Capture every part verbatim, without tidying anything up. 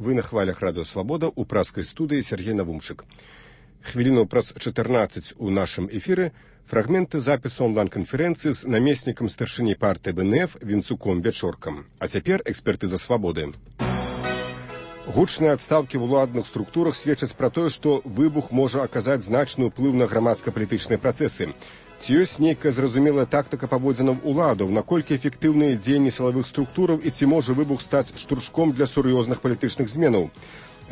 Вы на хвалях Радио Свобода у праскай студыі Сергей Навумчык. Хвіліну праз чатырнаццаць у нашым эфіры фрагменты запісу онлайн-канферэнцыі з намеснікам старшыні партыі бэ эн эф Вінцуком Бячоркам. А цяпер экспертыза Свабоды. Гучныя адстаўкі ў уладных структурах сведчаць пра тое, што выбух можа аказаць значны ўплыў на грамадска-палітычныя працэсы. Ці ёсць нейкая зразумелая тактыка паводзінаў уладаў, наколькі эфектыўныя дзеянні сілавых структураў і ці можа выбух стаць штуршком для сур'ёзных палітычных зменаў?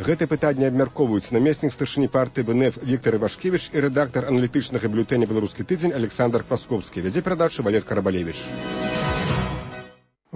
Гэтае пытанне абмяркоўваюць намеснік старшыні партыі бэ эн эф Віктор Івашкевіч і рэдактар аналітычнага бюлетэня «Беларускі тыдзень» Александр Пасковскі. Вядзе перадачу Валер Карабалевіч.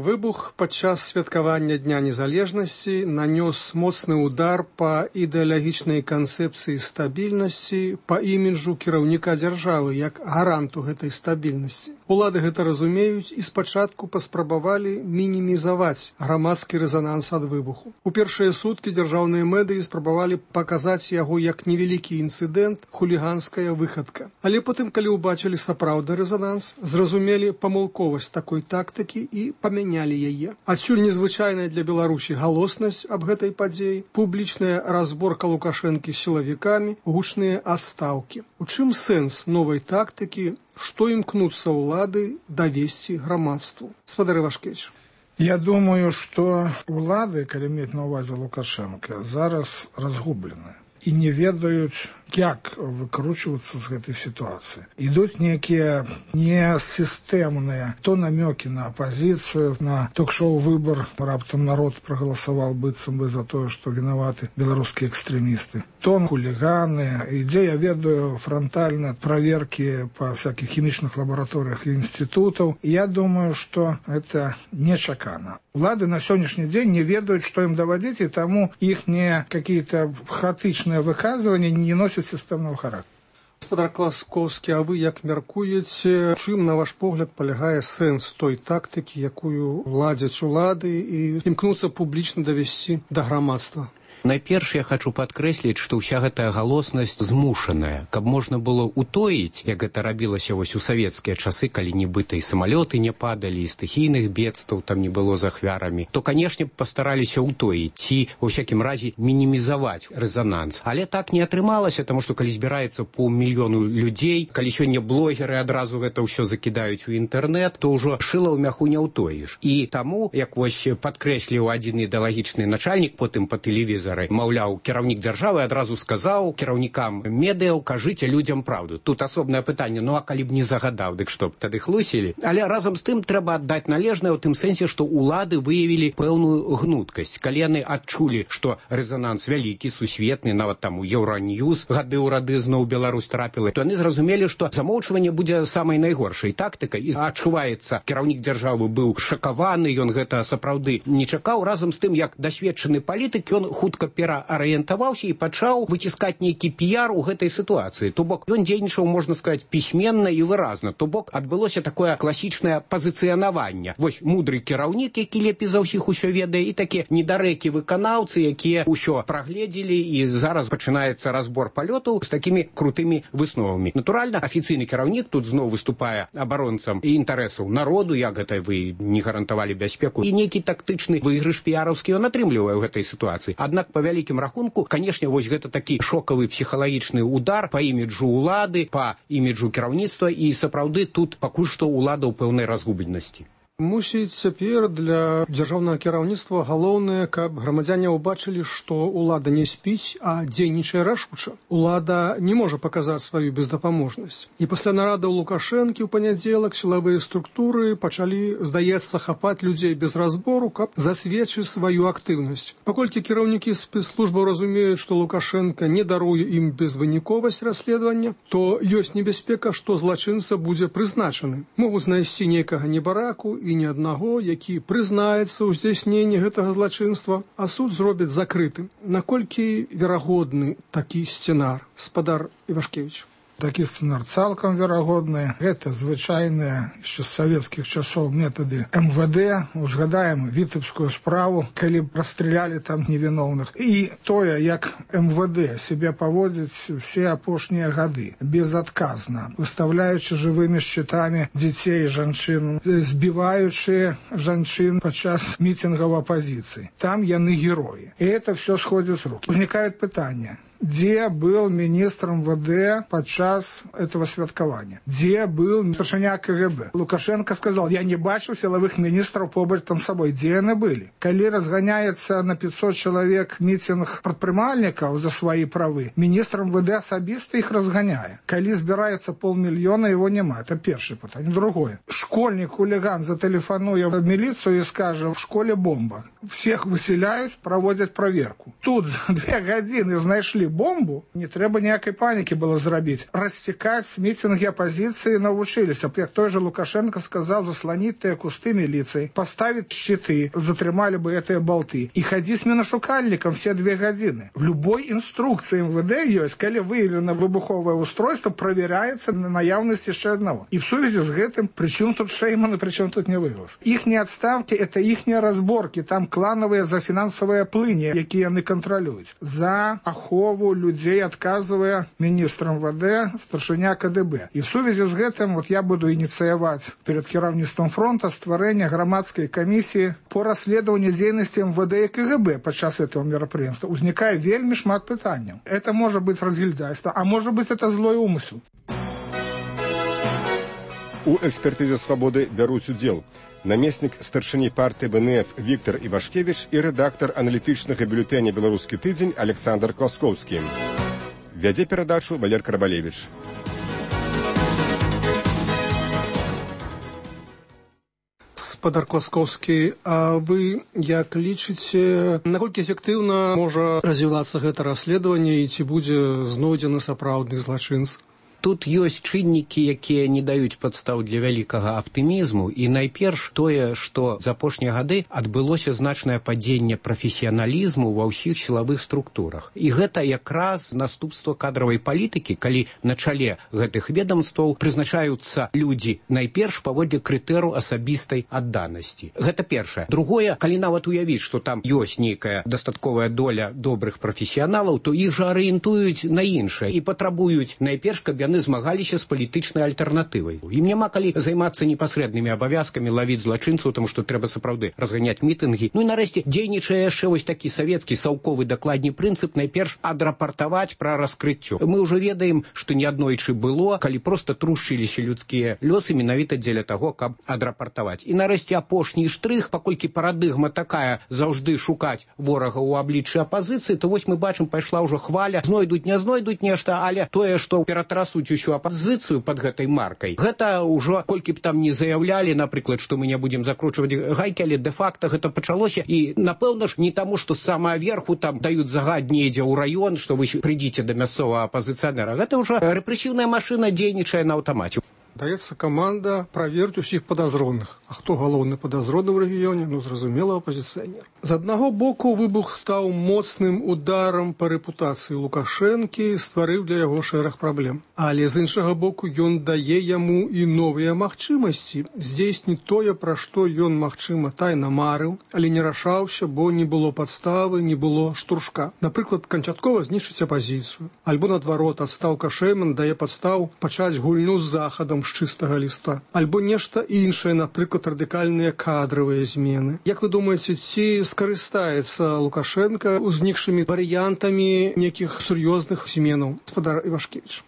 Выбух падчас святкавання Дня незалежнасці нанёс моцны удар па ідэалагічнай канцэпцыі стабільнасці, па іміджу кіраўніка дзяржавы як гаранту гэтай стабільнасці. Улады гэта разумеюць і спачатку паспрабавалі мінімізаваць грамадскі рэзананс ад выбуху. У першыя суткі дзяржаўныя медыі спрабавалі паказаць яго як невялікі інцыдэнт, хуліганская выхадка. Але потым, калі ўбачылі сапраўдны рэзананс, зразумелі памылковасць такой тактыкі і памянялі яе. Адсюль незвычайная для Беларусі галоснасць аб гэтай падзеі, публічная разборка Лукашэнкі з сілавікамі, гучныя адстаўкі. У чым сэнс новай тактыкі? Што імкнуцца ўлады давесці грамадству? Спадар Івашкевіч. Я думаю, што ўлады, калі мець на ўвазе Лукашэнка, зараз разгублены і не ведаюць, як выкручвацца з гэтай сітуацыі. Ідуць нейкія несістэмныя то намёкі на апазіцыю, на ток-шоу «Выбар», раптам народ прагаласаваў быццам бы за тое, што вінаваты беларускія экстрэмісты. То хуліганы, ідзе, я ведаю, франтальна праверкі па всякіх хімічных лабараторыях і інстытутаў. І я думаю, што гэта нечакана. Улады на сённяшні дзень не ведаюць, што ім давадзіць, і таму іхнія какие-то хаотычныя выказванні не носяць сістэмного характера. Спадар Класковскі, а вы як мяркуеце, чым, на ваш погляд, палягае сэнс той тактыкі, якую ладзяць улады і імкнуцца публічна давесці да грамадства? Найперш я хочу падкрэсліць, што ўся гэтая галоснасць змушаная, каб можна было утоіць, як гэта рабілася вось у савецкія часы, калі нібыта і самалёты не падалі, і стыхійных бедстваў там не было з ахвярамі, то, канешне, пастараліся утоіць ці, ва ўсякім разе, мінімізаваць рэзананс. Але так не атрымалася, таму што калі збіраецца паўмільёну людзей, калі сёння блогеры адразу гэта ўсё закідаюць у інтэрнэт, то ўжо шыла ў мяху не ўтоіш. І таму, як вось падкрэсліў адзін ідэалагічны начальнік потым па тэлевізору, маўляў, кіраўнік дзяржавы адразу сказаў кіраўнікам медыяў, кажыце людзям праўду. Тут асобнае пытанне, ну а калі б не загадаў, дык што б тады хлусілі? Але разам з тым трэба аддаць належнае ў тым сэнсе, што ўлады выявілі пэўную гнуткасць. Калі яны адчулі, што рэзананс вялікі, сусветны, нават там у Еўраньюз гады ў рады зноў Беларусь трапіла, то яны зразумелі, што замоўчванне будзе самай найгоршай тактыкай. І адчуваецца, кіраўнік дзяржавы быў шакаваны, ён гэта сапраўды не чакаў. Разам з тым, як дасведчаны палітык, ён хутка пераарыентаваўся і пачаў выціскаць нейкі піяр у гэтай сітуацыі. То бок, ён дзейнічаў, можна сказаць, пісьменна і выразна. То бок, адбылося такое класічнае пазіцыянаванне. Вось мудры кіраўнік, які лепей за ўсіх усё ведае, і такія недарэкі выканаўцы, якія ўсё прагледзелі, і зараз пачынаецца разбор палётаў з такімі крутымі высновамі. Натуральна, афіцыйны кіраўнік тут зноў выступае абаронцам і інтарэсаў народу, як гэта вы не гарантавалі бяспеку, і нейкі тактычны выйгрыш піяраўскі ён атрымлівае ў гэтай сітуацыі. Аднак па вялікім рахунку, канешне, вось гэта такі шокавы псіхалагічны удар па іміджу ўлады, па іміджу кіраўніцтва, і сапраўды тут пакуль што ўлада ў пэўнай разгубленасці. Мусіць, цяпер для дзяржаўнага кіраўніцтва галоўнае, каб грамадзяне ўбачылі, што ўлада не спіць, а дзейнічае рашуча. Улада не можа паказаць сваю бездапаможнасць. І пасля нарада ў Лукашэнкі ў панядзелак сілавыя структуры пачалі, здаецца, хапаць людзей без разбору, каб засведчыць сваю актыўнасць. Паколькі кіраўнікі спецслужбаў разумеюць, што Лукашэнка не даруе ім безвыніковасць расследавання, то ёсць небяспека, што злачынца будзе прызначаны. Могуць знайсці нейкага небараку і ні аднаго, які прызнаецца ў здзяйсненні гэтага злачынства, а суд зробіць закрытым. Наколькі верагодны такі сцэнар, спадар Івашкевіч? Такі сцэнар цалкам верагодны. Гэта звычайныя яшчэ з савецкіх часоў метады эм вэ дэ. Узгадаем вітебскую справу, калі расстралялі там невіновных. І тое, як эм вэ дэ себе паводзіць все апошнія гады, безадказна, выставляючы жывымі шчытамі дзяцей і жанчын, збіваючы жанчын падчас мітингаў апозіцыі. Там яны героі. І это все сходит с рук. Возникает питание. Где был министр эм вэ дэ подчас этого святкования? Где был старшыня ка гэ бэ? Лукашенко сказал, я не бачу силовых министров побач там с собой. Где они были? Коли разгоняется на пятьсот человек митинг предпринимальников за свои правы, министр эм вэ дэ особисто их разгоняет. Коли собирается полмиллиона, его нема. Это первое питание. Другое. Школьник-хулиган зателефонует в милицию и скажет, в школе бомба. Всех выселяют, проводят проверку. Тут за две годины знайшли бомбу, не трэба ніякай панікі было зрабіць. Расцікаць мітинги апозіцыі навучыліся. Як той же Лукашенко сказал, заслонить тыя кусты милиции, поставить щиты, затрымали бы этыя болты. И ходи с миношукальником все две годины. В любой инструкции эм вэ дэ есть, калі выявлено выбуховое устройство, проверяется на наявность еще одного. И в связи с гэтым, причем тут Шейман и причем тут не выглас. Ихние отставки, это ихние разборки, там клановые за финансовые плыни, якія яны контролюют. За ахову людей, отказывая министрам эм вэ дэ, старшыня ка дэ бэ. И в связи с гэтым вот я буду инициировать перед кіраўніцтвом фронта стварэння громадской комиссии по расследованию деятельности эм вэ дэ и ка гэ бэ подчас этого мероприятия. Узникает вельмі шмат пытанняў. Это может быть разгильдяйство, а может быть это злой умысел. У экспертызе «Свободы» бяруць удзел намеснік старшыні партыі бэ эн эф Віктор Івашкевіч і рэдактар аналітычнага бюлетэня «Беларускі тыдзень» Александр Класкоўскі. Вядзе перадачу Валер Карабалевіч. Спадар Класкоўскі, а вы як лічыце, наколькі эфектыўна можа развівацца гэта расследаванне і ці будзе знойдзены сапраўдны злачынц? Тут ёсць чыннікі, якія не даюць падстаў для вялікага аптымізму, і найперш тое, што за апошнія гады адбылося значнае падзенне прафесіяналізму ва ўсіх сілавых структурах. І гэта якраз наступства кадравай палітыкі, калі на чале гэтых ведомстваў прызначаюцца людзі найперш паводле крытэру асабістай адданасці. Гэта першае. Другое, калі нават уявіць, што там ёсць нейкая дастатковая доля добрых прафесіяналаў, то іх жа арыентуюць на іншае і патрабуюць найперш, каб яны змагаліся з палітычнай альтэрнатывай. Ім няма калі займацца непасрэднымі абавязкамі, лавіць злачынцаў, таму што трэба сапраўды разганяць мітынгі. Ну і нарэшце дзейнічае яшчэ вось такі савецкі саўковы дакладні прынцып найперш адрапартаваць пра раскрыццё. Мы ўжо ведаем, што неаднойчы было, калі проста трушчыліся людскія лёсы менавіта дзеля таго, каб адрапартаваць. І нарэшце апошні штрых, паколькі парадыгма такая заўжды шукаць ворага ў абліччы апазіцыі, то вось мы бачым, пайшла ўжо хваля, знойдуць, не знойдуць нешта, але тое, што ператрасуць усю апозіцыю пад гэтай маркай. Гэта ўжо, колькі б там не заявлялі, напрыклад, што мы не будзем закручваць гайкі, але дэ-факта гэта пачалося. І, напэўна ж, не таму, што з самага верху там даюць загад недзе ў раён, што вы прыйдзіце да мясцовага апазіцыянера. Гэта ўжо рэпрэсіўная машына дзейнічае на аўтамаце. Даецца каманда праверыць усіх падазроных. А хто галоўны падазроны ў рэгіёне? Ну, зразумела, апазіцыянер. З аднаго боку, выбух стаў моцным ударам па рэпутацыі Лукашэнкі, стварыў для яго шэраг праблем. Але з іншага боку, ён дае яму і новыя магчымасці здзейсніць тое, пра што ён, магчыма, тайна марыў, але не рашаўся, бо не было падставы, не было штуршка. Напрыклад, канчаткова знішчыць апазіцыю. Альбо, наадварот, адстаўка Шейман дае падстаў пачаць гульню з захадам з чыстага ліста. Альбо нешта іншае, напрыклад, радыкальныя кадравыя змены. Як вы думаеце, ці скарыстаецца Лукашенко узнікшымі варыянтамі нейкіх сур'ёзных зменаў? Спадар Івашкевіч.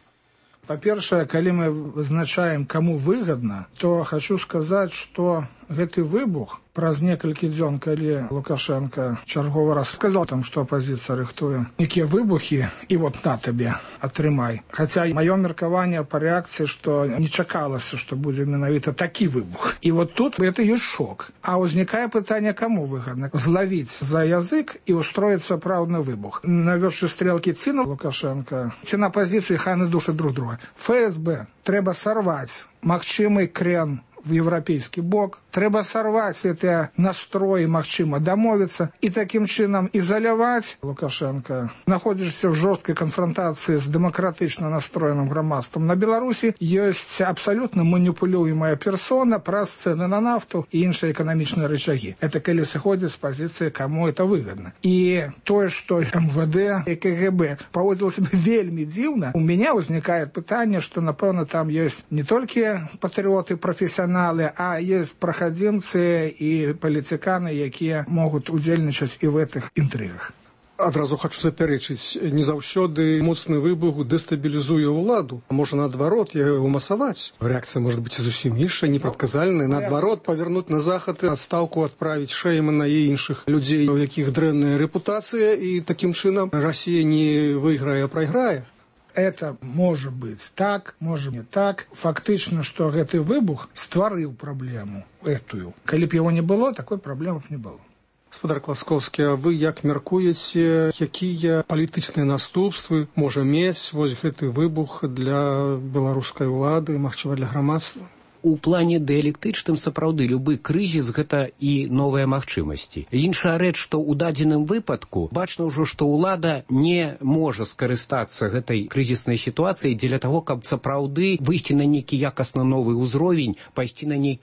Па-першае, калі мы вызначаем, каму выгадна, то хочу сказаць, што гэты выбух праз некалькі дзён, калі Лукашенко чарговы раз сказал там, што апозіцыя рыхтуе нейкія выбухі, і вот на табе, атрымай. Хаця маё меркаванне па рэакцыі, што не чакалася, што будзе менавіта такі выбух. І вот тут это ёсць шок. А ўзнікае пытанне, каму выгадна? Злавіць за язык і устроіць сапраўдны выбух. Навёўшы стрелкі ці на Лукашенко, ці на апозіцыю, хай яны душаць друг друга. эф эс бэ трэба сарваць магчымы крен в европейский бок, трэба сорвать эти настрои, магчыма домовиться и таким чином изолировать Лукашенко. Находишься в жесткой конфронтации с демократично настроенным громадством. На Беларуси есть абсолютно манипулюемая персона, праз цены на нафту и іншыя экономичные рычаги. Это коли сходит с позиции, кому это выгодно. И то, что эм вэ дэ и ка гэ бэ поводило себя вельми дивно, у меня возникает питание, что, напевно, там есть не только патриоты, профессионалы, а есть проходимцы и политиканы, якія могут удзельнічаць и в этих интригах. Адразу хочу запярэчыць, не заўсёды моцны выбух дэстабілізуе ўладу. Можа, наадварот, яго масаваць. Реакция может быть и зусім іншая, непрадказальная. Наадварот, павернуть на захад, адстаўку адправіць Шэймана і іншых людзей, у якіх дрэнная рэпутацыя, і таким чынам Россия не выйграе, а прайграе. Это может быть так, может не так. Фактично, что гэты выбух стварыў праблему этую. Калі б его не было, такой праблемы не было. Гаспадар Класкоўскі, а вы як мяркуеце, якія палітычныя наступствы можа мець вось гэты выбух для беларускай улады, магчыма, для грамадства? У плане дыялектычным сапраўды любы крызіс гэта і новыя магчымасці. Іншая рэч, што ў дадзеным выпадку бачна ўжо, што ўлада не можа скарыстацца гэтай крызіснай сітуацыяй дзеля таго, каб сапраўды выйсці на нейкі якасна новы ўзровень, пайсці на нейкі